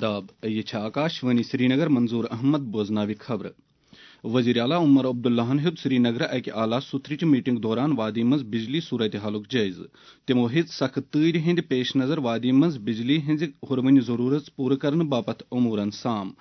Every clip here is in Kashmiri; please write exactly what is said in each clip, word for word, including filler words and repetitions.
تاب۔ یہِ چھِ آکاش وانی سرینگر۔ منظور احمد بوزناوِ خبرٕ۔ وزیر اعلیٰ عمر عبداللہَن ہیوٚت سرینگرٕ اکہِ اعلیٰ ستھرٕچہِ میٹنگ دوران وادی منٛز بجلی صورتحالُک جٲیزٕ۔ تِمو ہیٚژ سخت تۭرِ ہٕنٛدِ پیش نظر وادی منٛز بجلی ہٕنٛزِ ہُروٕنہِ ضروٗرت پوٗرٕ کرنہٕ باپتھ امورن سام۔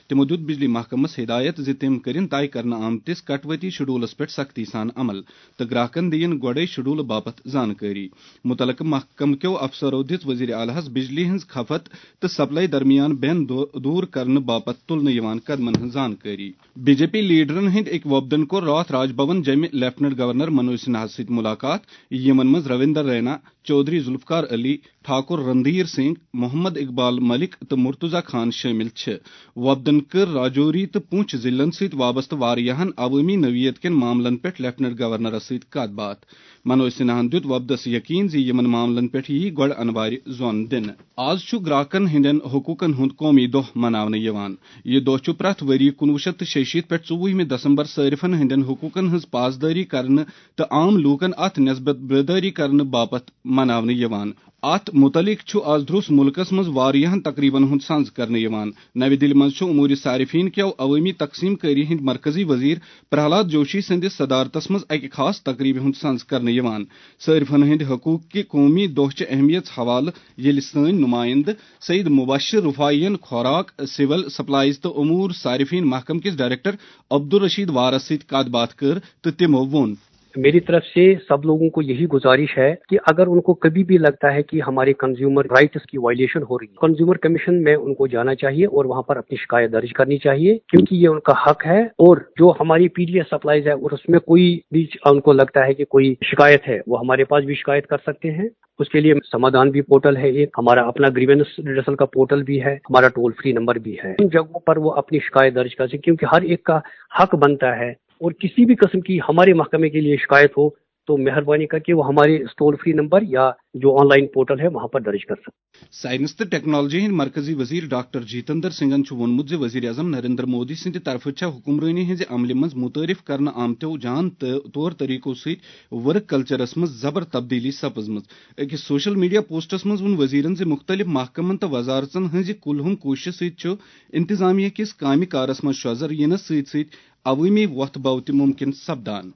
تِمو دیُت بجلی محکمس ہدایت زِ تِم کٔرِن طے کرنہٕ آمتِس کٹوتی شیڈولس پٮ۪ٹھ سختی سان عمل تہٕ گراہکن دِیِن گۄڈے شیڈول باپتھ زانکٲری۔ متعلقہٕ محکمہٕ کیو افسرو دِژ وزیر اعلیٰ ہس بجلی ہٕنٛز کھپت تہٕ سپلائی درمیان بین دو-، دوٗر کرنہٕ باپتھ تُلنہٕ یِوان قدمن ہٕنٛز زانکٲری۔ بی جے پی لیڈرن ہٕنٛدۍ أکۍ وفدن کوٚر راتھ راج بھون جمہِ لیفٹیننٹ گورنر منوج سنہاہس سۭتۍ ملاقات، یِمن منٛز رویندر رینا، چودھری ذوالفقار علی، ٹھاکر رندھیر سنگھ، محمد اقبال ملک تہٕ مرتضی خان شٲمِل چھِ۔ وفدن کٔر راجوری تہٕ پونچھ ضلعن سۭتۍ وابستہٕ واریاہن عوٲمی نوعیت کٮ۪ن معاملن پٮ۪ٹھ لیفٹیننٹ گورنرس سۭتۍ کتھ باتھ۔ منوج سنہاہن دیُت وفدس یقین زِ یِمن معاملن پٮ۪ٹھ ییہِ گۄڈٕ انوارِ زون دِنہٕ۔ آز چھُ گراہکن ہٕنٛدٮ۪ن حقوقن ہُنٛد قومی دۄہ مناونہٕ یِوان۔ یہِ دۄہ چھُ پرٛٮ۪تھ ؤرۍ یہِ کُنوُہ شیٚتھ تہٕ شیٚیہِ شیٖتھ پٮ۪ٹھ ژوٚوُہمہِ دسمبر صٲرفن ہٕنٛدٮ۪ن حقوقن ہٕنٛز پاسدٲری کرنہٕ تہٕ عام لوٗکن اتھ نسبت بیدٲری کرنہٕ باپتھ مناونہٕ یِوان۔ اتھ متعلق چھُ از درٛوس مُلکس منٛز واریاہن تقریبن ہُنٛد سنز کرنہٕ یِوان۔ نوِ دِلہِ منٛز چھُ امور صارفین کیو عوٲمی تقسیم کٲری ہٕنٛدۍ مرکزی وزیر پرہلاد جوشی سٕنٛدِس صدارتس منٛز اکہِ خاص تقریبہِ ہُنٛد سنز کرنہٕ یِوان۔ صارفن ہٕنٛدِ حقوق کہِ قومی دۄہ چہِ اہمیت حوالہٕ ییٚلہِ سٲنۍ نُمایندٕ سید مبشر رفاعین خوراک، سول سپلائز تہٕ امور صارفین محکمہٕ کِس ڈائریکٹر عبدالرشید وارس سۭتۍ کتھ باتھ کٔر تہٕ تِمو ووٚن۔ میری طرف سے سب لوگوں کو یہی گزارش ہے کہ اگر ان کو کبھی بھی لگتا ہے کہ ہمارے کنزیومر رائٹس کی وائلیشن ہو رہی ہے، کنزیومر کمیشن میں ان کو جانا چاہیے اور وہاں پر اپنی شکایت درج کرنی چاہیے، کیونکہ یہ ان کا حق ہے۔ اور جو ہماری پی ڈی ایس سپلائز ہے اور اس میں کوئی بھی ان کو لگتا ہے کہ کوئی شکایت ہے، وہ ہمارے پاس بھی شکایت کر سکتے ہیں۔ اس کے لیے سمادھان بھی پورٹل ہے، ایک ہمارا اپنا گریونس ریڈرسل کا پورٹل بھی ہے، ہمارا ٹول فری نمبر بھی ہے۔ ان جگہوں پر وہ اپنی شکایت درج کر سکتے، کیونکہ ہر ایک کا حق بنتا ہے اور کسی بھی قسم کی ہمارے محکمے کے لیے شکایت ہو تو مہربانی کر کے وہ ہمارے ٹول فری نمبر یا جو آن لائن پورٹل ہے وہاں پر درج کر سکتے۔ سائنس تہٕ ٹیکنالوجی ہٕنٛدۍ مرکزی وزیر ڈاکٹر جتندر سنگھن چھُ ووٚنمُت زِ وزیر اعظم نریندر مودی سٕنٛدِ طرفہٕ چھےٚ حکمرٲنی ہٕنٛزِ عملہِ منٛز متعارف کرنہٕ آمتیو جان تہٕ طور طریقو سۭتۍ ورک کلچرس منٛز زبر تبدیلی سپٕزمٕژ۔ أکِس سوشل میڈیا پوسٹس منٛز ووٚن وزیرن زِ مُختٔلِف محکمن تہٕ وزارژن ہٕنٛزِ کُلہُم کوٗششہِ سۭتۍ چھُ انتظامیہ کِس کامہِ کارس منٛز شۄزر یِنس سۭتۍ سۭتۍ عوٲمی وۄتھ بو تہِ مُمکِن سپدان۔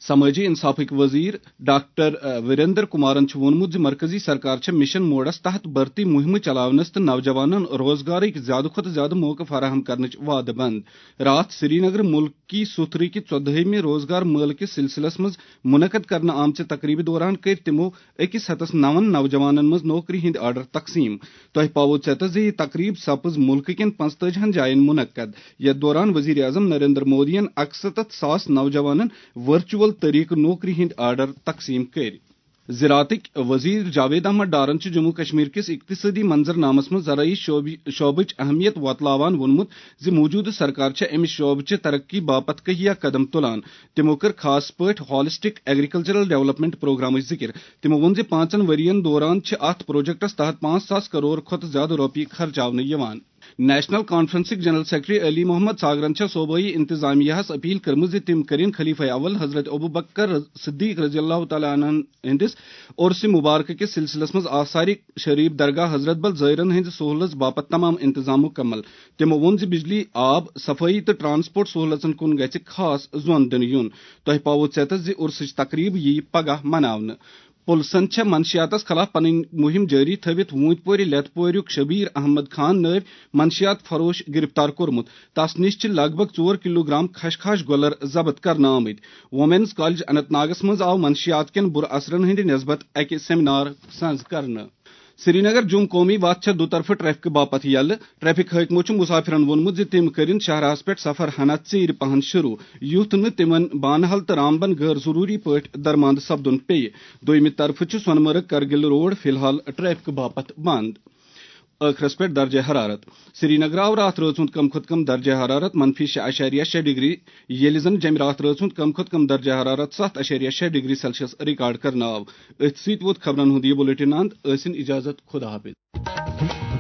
سمٲجی انصافٕکۍ وزیر ڈاکٹر، ا، وریندر کمارن چھُ ووٚنمُت زِ مرکزی سرکار چھےٚ مشن موڈس تحت بھرتی مہمہٕ چلاونس تہٕ نوجوانن روزگارٕکۍ زیادٕ کھۄتہٕ زیادٕ موقعہٕ فراہم کرنٕچ وعدٕ بند۔ راتھ سرینگر ملکی ستھرٕکۍ ژۄدہٲیمہِ روزگار مٲلہٕ کِس سلسلس منٛز منعقد کرنہٕ آمژِ تقریبہِ دوران کٔرۍ تِمو أکِس ہتس نون نوجوانن منٛز نوکری ہٕنٛدۍ آرڈر تقسیٖم۔ تۄہہِ پاوو ژیتس زِ یہِ تقریب سپٕز مُلکہٕ کٮ۪ن پنٛژتٲجی ہن جاین منعقد، یتھ دوران وزیر اعظم نریندر مودیَن اکستتھ ساس نوجوانن ورچوئل طریقہٕ نوکری ہٕنٛدۍ آرڈر تقسیٖم کٔرۍ۔ زراعتٕکۍ وزیر جاوید احمد ڈارن چھُ جموں کشمیر کِس اقتصٲدی منظرنامس منٛز زرعی شعبی-، شعبٕچ اہمیت وۄتلاوان ووٚنمُت زِ موجودٕ سرکار چھےٚ اَمہِ شعبہٕ چہِ ترقی باپتھ کہیا قدم تُلان۔ تِمو کٔر خاص پٲٹھۍ ہالسٹک ایگریکلچرل ڈیولپمنٹ پروگرامٕچ ذِکِر۔ تِمو ووٚن زِ پانٛژن ؤرۍ یَن دوران چھِ اَتھ پروجیکٹَس تحت پانٛژھ ساس کرور کھۄتہٕ زِیٛادٕ رۄپیہِ خرچاونہٕ یِوان۔ نیشنل کانفرنسٕکۍ جنرل سیکرٹری علی محمد ساگرَن چھےٚ صوبٲئی انتظامیہَس اپیل کٔرمٕژ زِ تِم کٔرِن خلیفہ اول حضرت ابوبکر صدیق رضی اللہ تعالیٰ عنہ ہٕنٛدِس عرس مبارکہٕ کِس سلسلس منٛز آثار شریف درگاہ حضرت بل زائرن ہٕنٛزِ سہولژ باپتھ تمام انتظام مکمل۔ تِمو ووٚن زِ بجلی، آب، صفٲیی تہٕ ٹرانسپورٹ سہولژن کُن گژھِ خاص زون دِنہٕ یُن۔ تۄہہِ پاوو ژیتس زِ عرسٕچ تقریب یِیہِ پگاہ مناونہٕ۔ پُلسن چھےٚ منشیاتس خلاف پنٕنۍ مُہِم جٲری تھٲوِتھ ووٗنتۍ پورِ لٮ۪تہٕ پوریُک شبیر احمد خان نٲوۍ منشیات فروش گرفتار کوٚرمُت۔ تس نِش چھِ لگ بگ ژور کلوگرام خشخاش گۄلر ضبط کرنہٕ آمٕتۍ۔ وومینز کالج اننت ناگس منٛز آو منشیات کٮ۪ن بُرٕ اثرن ہٕنٛدِ نسبت اکہِ سیمینار سنز کرنہٕ۔ سرینگر جوم قومی وتھ چھےٚ دُطرفہٕ ٹریفکہٕ باپتھ یلہٕ۔ ٹریفک حٲکمو چھُ مُسافِرن ووٚنمُت زِ تِم کٔرِن شاہراہَس پٮ۪ٹھ سفر ہنا ژیٖرِ پہن شروع، یُتھ نہٕ تِمن بانہل تہٕ رامبن غٲر ضروٗری پٲٹھۍ درماندٕ سپدُن پیٚیہِ۔ دوٚیمہِ طرفہٕ چھُ سۄنہٕ مرگ کرگِل روڈ فی الحال ٹریفکہٕ باپتھ بنٛد۔ ٲخرس پٮ۪ٹھ درجہ حرارت۔ سرینگر آو راتھ رٲژ ہُنٛد کم کھۄتہٕ کم درجہ حرارت منفی شےٚ اعشاریہ شےٚ ڈگری، ییٚلہِ زن جمہِ راتھ رٲژ ہُنٛد کم کھۄتہٕ کم درجہ حرارت ستھ اعشاریہ شےٚ ڈگری سیلسیس ریکارڈ کرنہٕ آو۔ أتھۍ سۭتۍ ووت خبرن ہُنٛد یہِ بلیٹن اند۔ ٲسِن اجازت، خدا حافظ۔